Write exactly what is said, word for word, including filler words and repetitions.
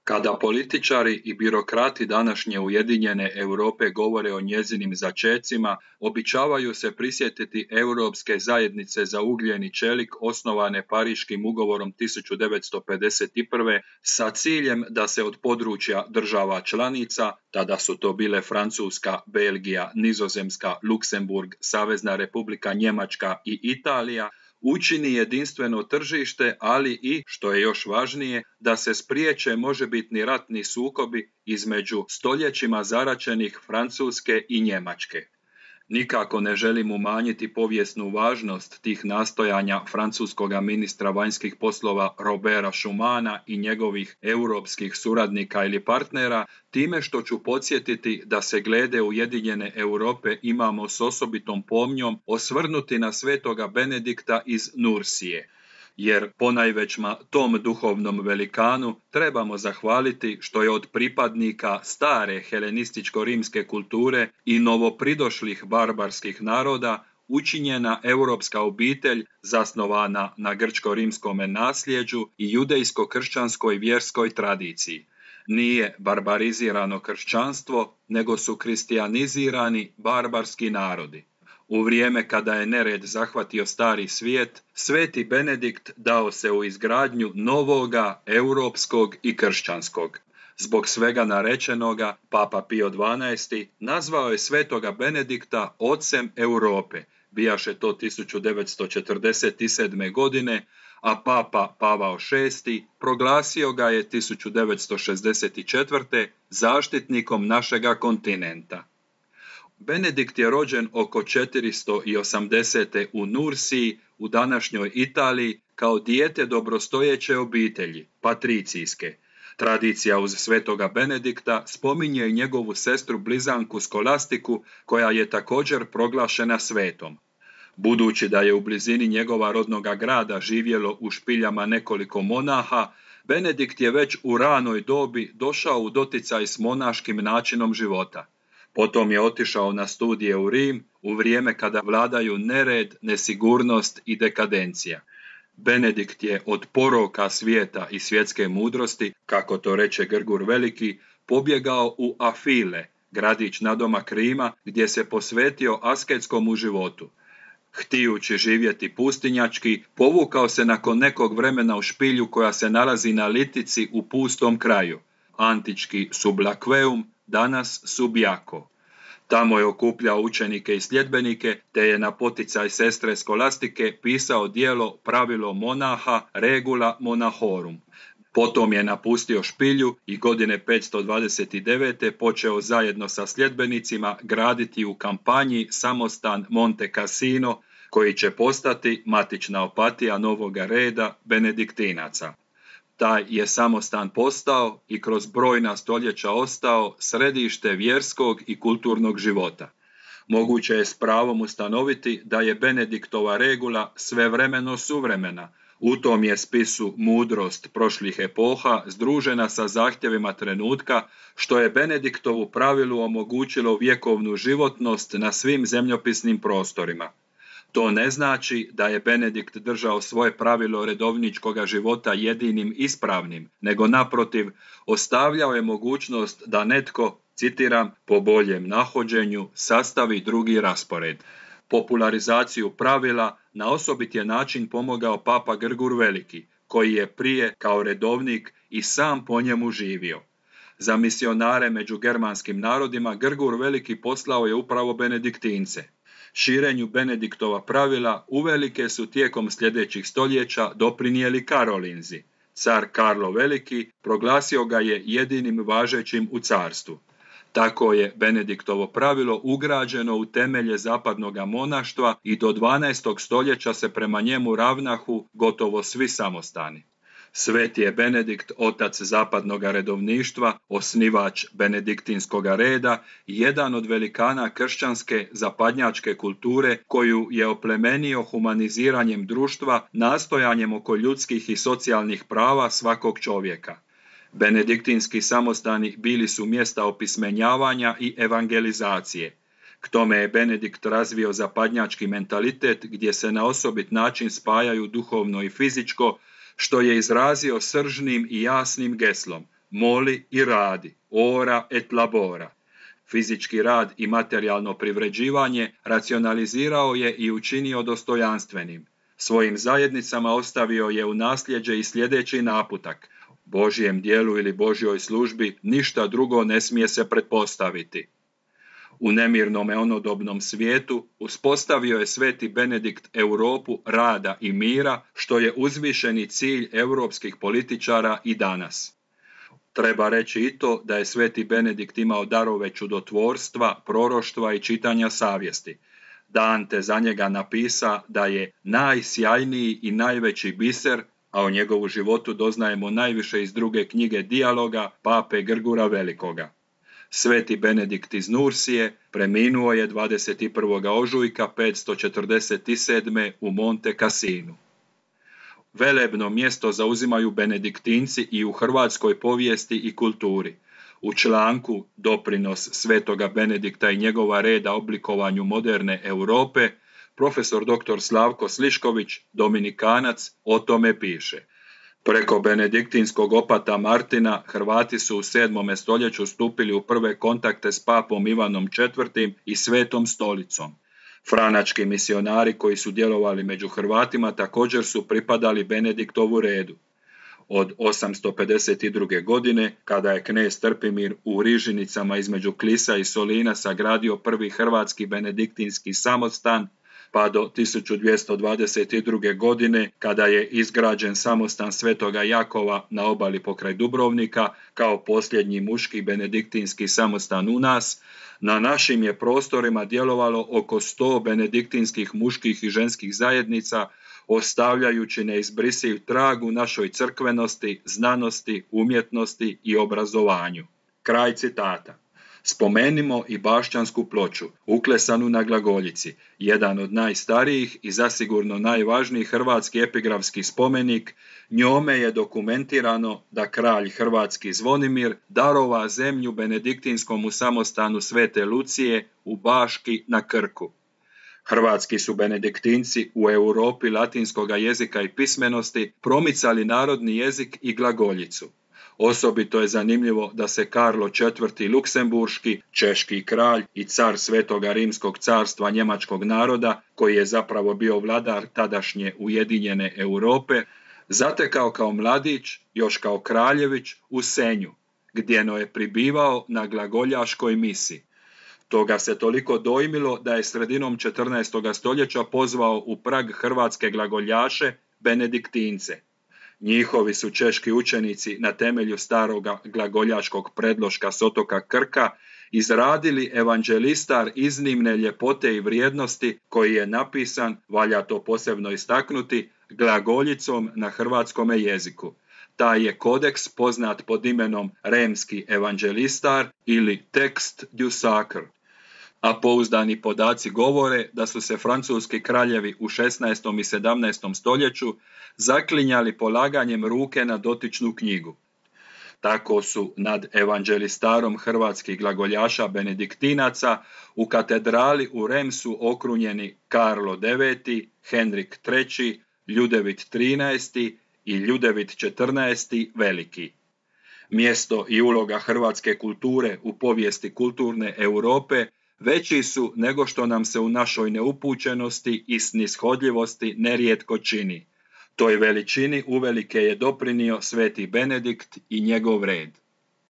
Kada političari i birokrati današnje Ujedinjene Europe govore o njezinim začecima, običavaju se prisjetiti Europske zajednice za ugljen i čelik osnovane Pariškim ugovorom tisuću devetsto pedeset prve. sa ciljem da se od područja država članica, tada su to bile Francuska, Belgija, Nizozemska, Luksemburg, Savezna Republika Njemačka i Italija, učini jedinstveno tržište, ali i, što je još važnije, da se spriječe možebitni ratni sukobi između stoljećima zaraćenih Francuske i Njemačke. Nikako ne želim umanjiti povijesnu važnost tih nastojanja francuskog ministra vanjskih poslova Roberta Schumana i njegovih europskih suradnika ili partnera, time što ću podsjetiti da se glede Ujedinjene Europe imamo s osobitom pomnjom osvrnuti na svetoga Benedikta iz Nursije. Jer ponajvećma tom duhovnom velikanu trebamo zahvaliti što je od pripadnika stare helenističko-rimske kulture i novopridošlih barbarskih naroda učinjena europska obitelj zasnovana na grčko-rimskome nasljeđu i judejsko-kršćanskoj vjerskoj tradiciji. Nije barbarizirano kršćanstvo, nego su kristijanizirani barbarski narodi. U vrijeme kada je nered zahvatio stari svijet, sveti Benedikt dao se u izgradnju novoga, europskog i kršćanskog. Zbog svega narečenoga, Papa Pio dvanaesti. nazvao je svetoga Benedikta ocem Europe, bijaše to tisuću devetsto četrdeset sedme. godine, a Papa Pavao šesti. proglasio ga je tisuću devetsto šezdeset četvrte. zaštitnikom našega kontinenta. Benedikt je rođen oko četiristo osamdesete. u Nursiji, u današnjoj Italiji, kao dijete dobrostojeće obitelji, patricijske. Tradicija uz svetoga Benedikta spominje i njegovu sestru blizanku Skolastiku, koja je također proglašena svetom. Budući da je u blizini njegova rodnoga grada živjelo u špiljama nekoliko monaha, Benedikt je već u ranoj dobi došao u doticaj s monaškim načinom života. Potom je otišao na studije u Rim u vrijeme kada vladaju nered, nesigurnost i dekadencija. Benedikt je od poroka svijeta i svjetske mudrosti, kako to reče Grgur Veliki, pobjegao u Afile, gradić nadomak Rima, gdje se posvetio asketskom životu. Htijući živjeti pustinjački, povukao se nakon nekog vremena u špilju koja se nalazi na litici u pustom kraju, antički Sublakveum, danas Subjako. Tamo je okupljao učenike i sljedbenike, te je na poticaj sestre Skolastike pisao djelo Pravilo monaha Regula monahorum. Potom je napustio špilju i godine petsto dvadeset devete. počeo zajedno sa sljedbenicima graditi u kampanji samostan Monte Cassino, koji će postati matična opatija novoga reda benediktinaca. Taj je samostan postao i kroz brojna stoljeća ostao središte vjerskog i kulturnog života. Moguće je s pravom ustanoviti da je Benediktova regula svevremeno suvremena. U tom je spisu mudrost prošlih epoha združena sa zahtjevima trenutka, što je Benediktovu pravilu omogućilo vjekovnu životnost na svim zemljopisnim prostorima. To ne znači da je Benedikt držao svoje pravilo redovničkoga života jedinim ispravnim, nego naprotiv ostavljao je mogućnost da netko, citiram, po boljem nahođenju sastavi drugi raspored. Popularizaciju pravila na osobit je način pomogao Papa Grgur Veliki, koji je prije kao redovnik i sam po njemu živio. Za misionare među germanskim narodima Grgur Veliki poslao je upravo benediktince. Širenju Benediktova pravila uvelike su tijekom sljedećih stoljeća doprinijeli Karolinzi. Car Karlo Veliki proglasio ga je jedinim važećim u carstvu. Tako je Benediktovo pravilo ugrađeno u temelje zapadnoga monaštva i do dvanaestog stoljeća se prema njemu ravnahu gotovo svi samostani. Sveti je Benedikt, otac zapadnog redovništva, osnivač benediktinskog reda i jedan od velikana kršćanske zapadnjačke kulture koju je oplemenio humaniziranjem društva, nastojanjem oko ljudskih i socijalnih prava svakog čovjeka. Benediktinski samostani bili su mjesta opismenjavanja i evangelizacije. K tome je Benedikt razvio zapadnjački mentalitet gdje se na osobit način spajaju duhovno i fizičko, što je izrazio sržnim i jasnim geslom: moli i radi, ora et labora. Fizički rad i materijalno privređivanje racionalizirao je i učinio dostojanstvenim. Svojim zajednicama ostavio je u nasljeđe i sljedeći naputak: Božjem dijelu ili Božjoj službi ništa drugo ne smije se pretpostaviti. U nemirnome onodobnom svijetu uspostavio je sveti Benedikt Europu rada i mira, što je uzvišeni cilj europskih političara i danas. Treba reći i to da je sveti Benedikt imao darove čudotvorstva, proroštva i čitanja savjesti. Dante za njega napisa da je najsjajniji i najveći biser, a o njegovu životu doznajemo najviše iz druge knjige Dijaloga pape Grgura Velikoga. Sveti Benedikt iz Nursije preminuo je dvadeset prvog ožujka petsto četrdeset sedme. u Monte Cassinu. Velebno mjesto zauzimaju benediktinci i u hrvatskoj povijesti i kulturi. U članku Doprinos svetoga Benedikta i njegova reda oblikovanju moderne Europe, profesor doktor Slavko Slišković, dominikanac, o tome piše: preko benediktinskog opata Martina Hrvati su u sedmom stoljeću stupili u prve kontakte s papom Ivanom četvrtim i Svetom stolicom. Franački misionari koji su djelovali među Hrvatima također su pripadali Benediktovu redu. Od osamsto pedeset druge. godine, kada je knez Trpimir u Rižinicama između Klisa i Solina sagradio prvi hrvatski benediktinski samostan, pa do tisuću dvjesto dvadeset druge. godine, kada je izgrađen samostan Svetoga Jakova na obali pokraj Dubrovnika, kao posljednji muški benediktinski samostan u nas, na našim je prostorima djelovalo oko sto benediktinskih muških i ženskih zajednica, ostavljajući neizbrisiv trag u našoj crkvenosti, znanosti, umjetnosti i obrazovanju. Kraj citata. Spomenimo i Bašćansku ploču, uklesanu na glagoljici, jedan od najstarijih i zasigurno najvažnijih hrvatski epigrafski spomenik. Njome je dokumentirano da kralj hrvatski Zvonimir darova zemlju benediktinskom samostanu Svete Lucije u Baški na Krku. Hrvatski su benediktinci u Europi latinskoga jezika i pismenosti promicali narodni jezik i glagoljicu. Osobito je zanimljivo da se Karlo četvrti. Luksemburški, češki kralj i car Svetoga Rimskog carstva njemačkog naroda, koji je zapravo bio vladar tadašnje ujedinjene Europe, zatekao kao mladić, još kao kraljević, u Senju, gdjeno je pribivao na glagoljaškoj misi. Toga se toliko dojmilo da je sredinom četrnaestog. stoljeća pozvao u Prag hrvatske glagoljaše, benediktince. Njihovi su češki učenici na temelju staroga glagoljaškog predloška s otoka Krka izradili evanđelistar iznimne ljepote i vrijednosti, koji je napisan, valja to posebno istaknuti, glagoljicom na hrvatskome jeziku. Taj je kodeks poznat pod imenom Remski evanđelistar ili Tekst du Sacre. A pouzdani podaci govore da su se francuski kraljevi u šesnaestom. i sedamnaestom. stoljeću zaklinjali polaganjem ruke na dotičnu knjigu. Tako su nad evanđelistarom hrvatskih glagoljaša benediktinaca u katedrali u Remsu okrunjeni Karlo deveti, Henrik treći, Ljudevit trinaesti i Ljudevit četrnaesti. Veliki. Mjesto i uloga hrvatske kulture u povijesti kulturne Europe veći su nego što nam se u našoj neupućenosti i snishodljivosti nerijetko čini. Toj veličini uvelike je doprinio sveti Benedikt i njegov red.